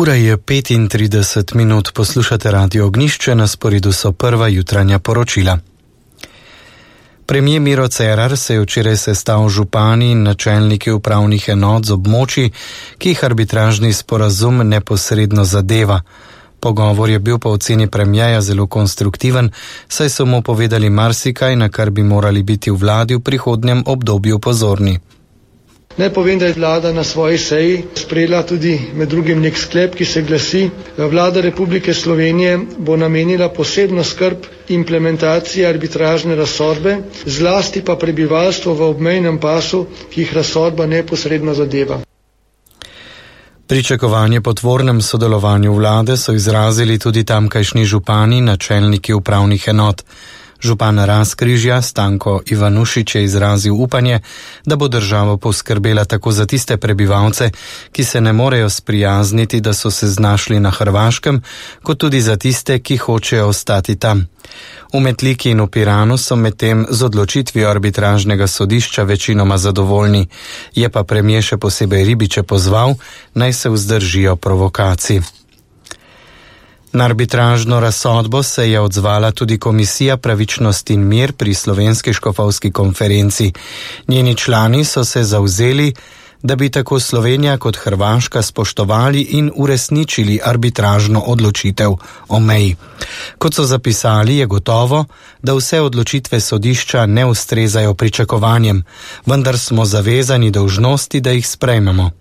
Ura je 35 minut, poslušate Radio Ognjišče, na sporedu so prva jutranja poročila. Premijer Miro Cerar se je včeraj sestal z župani in načelniki upravnih enot z območij, ki jih arbitražni sporazum neposredno zadeva. Pogovor je bil po oceni premierja zelo konstruktiven, saj so mu povedali marsikaj, na kar bi morali biti v vladi v prihodnjem obdobju pozorni. Naj povem, da je vlada na svoji seji sprejela tudi med drugim nek sklep, ki se glasi: Vlada Republike Slovenije bo namenila posebno skrb implementaciji arbitražne razsodbe, zlasti pa prebivalstvo v obmejnem pasu, ki jih razsodba neposredno zadeva. Pričakovanje po tvornem sodelovanju vlade so izrazili tudi tamkajšnji župani, načelniki upravnih enot. Župan Razkrižja Stanko Ivanušič je izrazil upanje, da bo država poskrbela tako za tiste prebivalce, ki se ne morejo sprijazniti, da so se znašli na Hrvaškem, kot tudi za tiste, ki hočejo ostati tam. V Metliki in v Piranu so medtem z odločitvijo arbitražnega sodišča večinoma zadovoljni, je pa premijer še posebej Ribiče pozval, naj se vzdržijo provokacij. Na arbitražno razsodbo se je odzvala tudi Komisija Pravičnost in mir pri Slovenski škofovski konferenci. Njeni člani so se zavzeli, da bi tako Slovenija kot Hrvaška spoštovali in uresničili arbitražno odločitev o meji. Kot so zapisali, je gotovo, da vse odločitve sodišča ne ustrezajo pričakovanjem, vendar smo zavezani dolžnosti, da jih sprejmemo.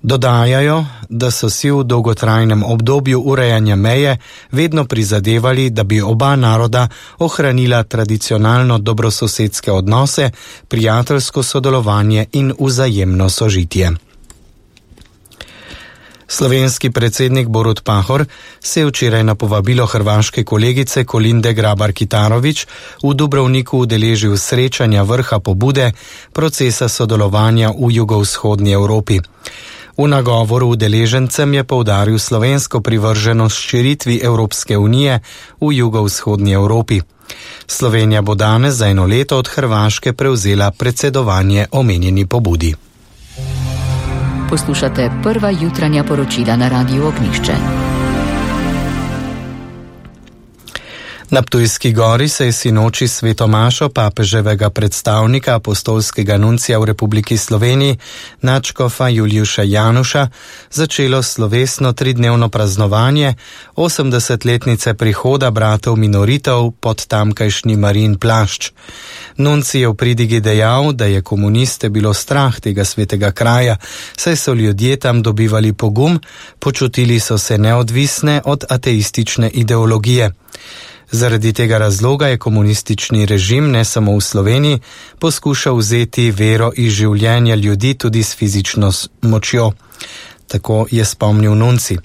Dodajajo, da so si v dolgotrajnem obdobju urejanja meje vedno prizadevali, da bi oba naroda ohranila tradicionalno dobrososedske odnose, prijateljsko sodelovanje in vzajemno sožitje. Slovenski predsednik Borut Pahor se je včeraj na povabilo hrvaške kolegice Kolinde Grabar-Kitarović v Dubrovniku udeležil srečanja vrha pobude procesa sodelovanja v jugovzhodni Evropi. V nagovoru udeležencem je poudaril slovensko privrženost širitvi Evropske unije v jugovzhodni Evropi. Slovenija bo danes za 1 leto od Hrvaške prevzela predsedovanje omenjeni pobudi. Poslušate prva jutranja poročila na Radiu Ognjišče. Na Ptujski gori se je sinoči svetomašo papeževega predstavnika apostolskega nuncija v Republiki Sloveniji, nadškofa Juliuša Januša, začelo slovesno 3-dnevno praznovanje 80-letnice prihoda bratov minoritov pod tamkajšnji Marijin plašč. Nuncij je v pridigi dejal, da je komuniste bilo strah tega svetega kraja, saj so ljudje tam dobivali pogum, počutili so se neodvisne od ateistične ideologije. Zaradi tega razloga je komunistični režim ne samo v Sloveniji poskušal vzeti vero iz življenja ljudi tudi s fizično močjo. Tako je spomnil nuncij.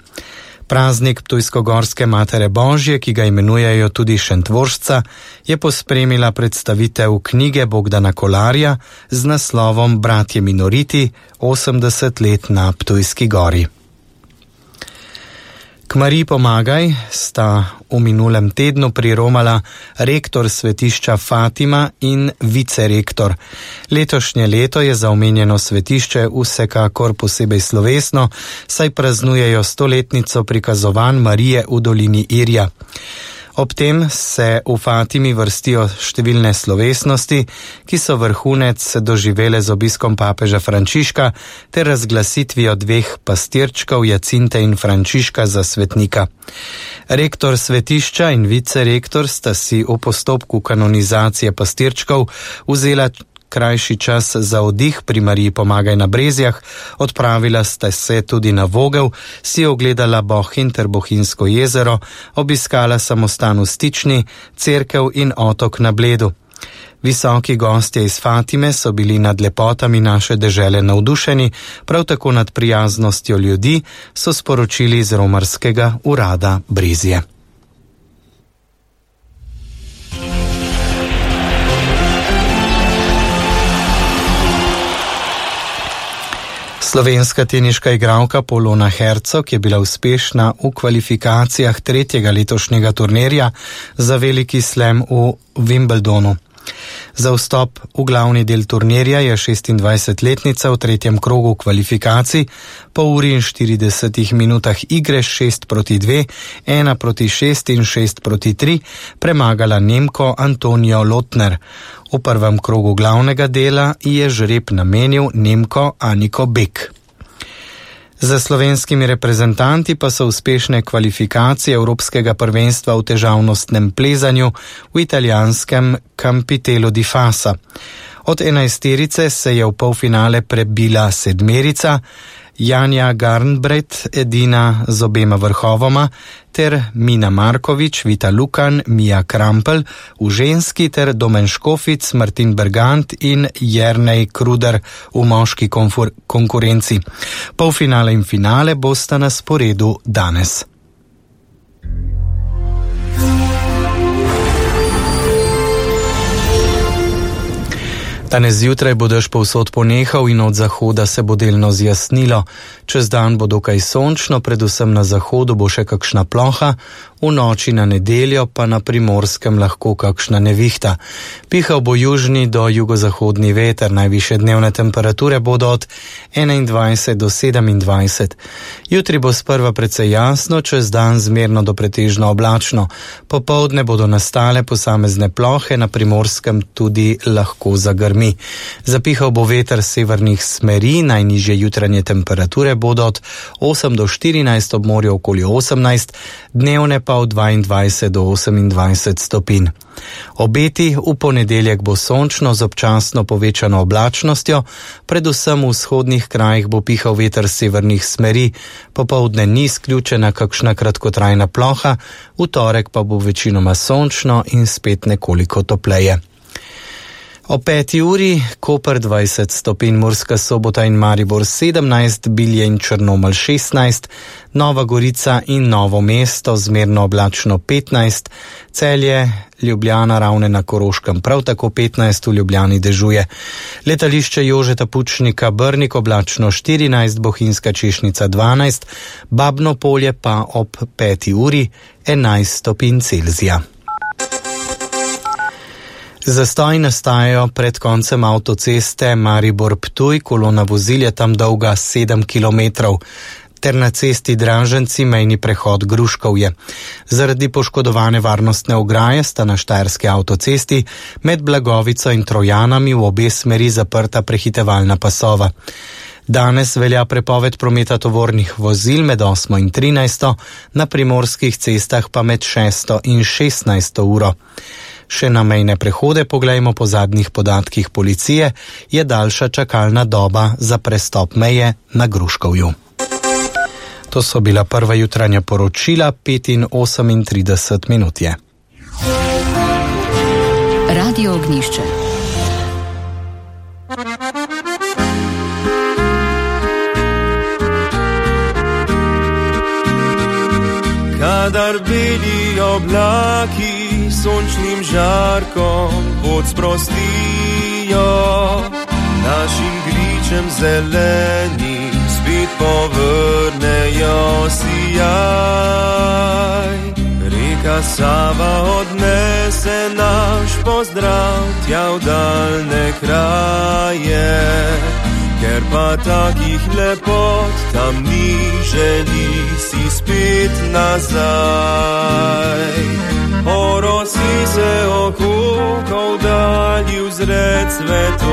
Praznik Ptujsko-gorske Matere Božje, ki ga imenujejo tudi Šentvoržca, je pospremila predstavitev knjige Bogdana Kolarja z naslovom Bratje minoriti 80 let na Ptujski gori. K Mariji pomagaj sta v minulem tednu priromala rektor svetišča Fatima in vicerektor. Letošnje leto je za omenjeno svetišče vsekakor posebej slovesno, saj praznujejo 100-letnico prikazovanj Marije v dolini Irja. Ob tem se v Fatimi vrstijo številne slovesnosti, ki so vrhunec doživele z obiskom papeža Frančiška ter razglasitvijo 2 pastirčkov Jacinte in Frančiška za svetnika. Rektor svetišča in vicerektor sta si v postopku kanonizacije pastirčkov vzela krajši čas za oddih pri Mariji pomagaj na Brezjah, odpravila sta se tudi na Vogel, si ogledala Bohinj ter Bohinjsko jezero, obiskala samostan v Stični, cerkev in otok na Bledu. Visoki gostje iz Fatime so bili nad lepotami naše dežele navdušeni, prav tako nad prijaznostjo ljudi, so sporočili iz romarskega urada Brezje. Slovenska teniška igralka Polona Hercog je bila uspešna v kvalifikacijah 3. letošnjega turnirja za veliki slam v Wimbledonu. Za vstop v glavni del turnirja je 26-letnica v tretjem krogu kvalifikacij po uri in 40 minutah igre 6-2, 1-6 in 6-3 premagala Nemko Antonijo Lotner. V prvem krogu glavnega dela je žreb namenil Nemko Aniko Bek. Za slovenskimi reprezentanti pa so uspešne kvalifikacije Evropskega prvenstva v težavnostnem plezanju v italijanskem Campitello di Fassa. Od 11-terice se je v polfinale prebila 7-erica, Janja Garnbret edina z obema vrhovoma, ter Mina Markovič, Vita Lukan, Mija Krampel v ženski ter Domen Škofic, Martin Bergant in Jernej Kruder v moški konkurenci. Polfinale in finale bosta na sporedu danes. Danes zjutraj bo dež povsod ponehal in od zahoda se bo delno zjasnilo. Čez dan bo dokaj sončno, predvsem na zahodu bo še kakšna ploha, v noči na nedeljo pa na Primorskem lahko kakšna nevihta. Pihal bo južni do jugozahodni veter, najvišje dnevne temperature bodo od 21 do 27. Jutri bo sprva precej jasno, čez dan zmerno do pretežno oblačno. Popoldne bodo nastale posamezne plohe, na Primorskem tudi lahko zagrmi. Zapihal bo veter severnih smeri, najnižje jutranje temperature bodo od 8 do 14, ob morju okoli 18, dnevne pa od 22 do 28 stopinj. Obeti v ponedeljek bo sončno z občasno povečano oblačnostjo, predvsem v vzhodnih krajih bo pihal veter severnih smeri, popoldne ni izključena kakšna kratkotrajna ploha, v torek pa bo večinoma sončno in spet nekoliko topleje. O 5. uri Koper 20 stopinj, Murska Sobota in Maribor 17, Bilje in Črnomelj 16, Nova Gorica in Novo mesto zmerno oblačno 15, Celje, Ljubljana, Ravne na Koroškem prav tako 15, v Ljubljani dežuje. Letališče Jožeta Pučnika Brnik oblačno 14, Bohinjska Češnica 12, Babno Polje pa ob 5. uri 11 stopinj Celzija. Zastoji nastajajo pred koncem avtoceste Maribor-Ptuj, kolona vozil je tam dolga 7 km, ter na cesti Draženci mejni prehod Gruškovje. Zaradi poškodovane varnostne ograje sta na štajerski avtocesti med Blagovico in Trojanami v obe smeri zaprta prehitevalna pasova. Danes velja prepoved prometa tovornih vozil med 8 in 13, na primorskih cestah pa med 6 in 16 uro. Še na mejne prehode, poglejmo po zadnjih podatkih policije, je daljša čakalna doba za prestop meje na Gruškovju. To so bila prva jutranja poročila, 5:38 minut je. Radio Ognjišče. Kadar beli oblaki sončnim žarkom pot sprostijo, našim gričem zeleni spet povrnejo sijaj. Reka Sava odnese naš pozdrav tja v daljne kraje, ker pa takih lepot tam ni, želi si spet nazaj. Orosi se okukal, dalji vzred cvetov.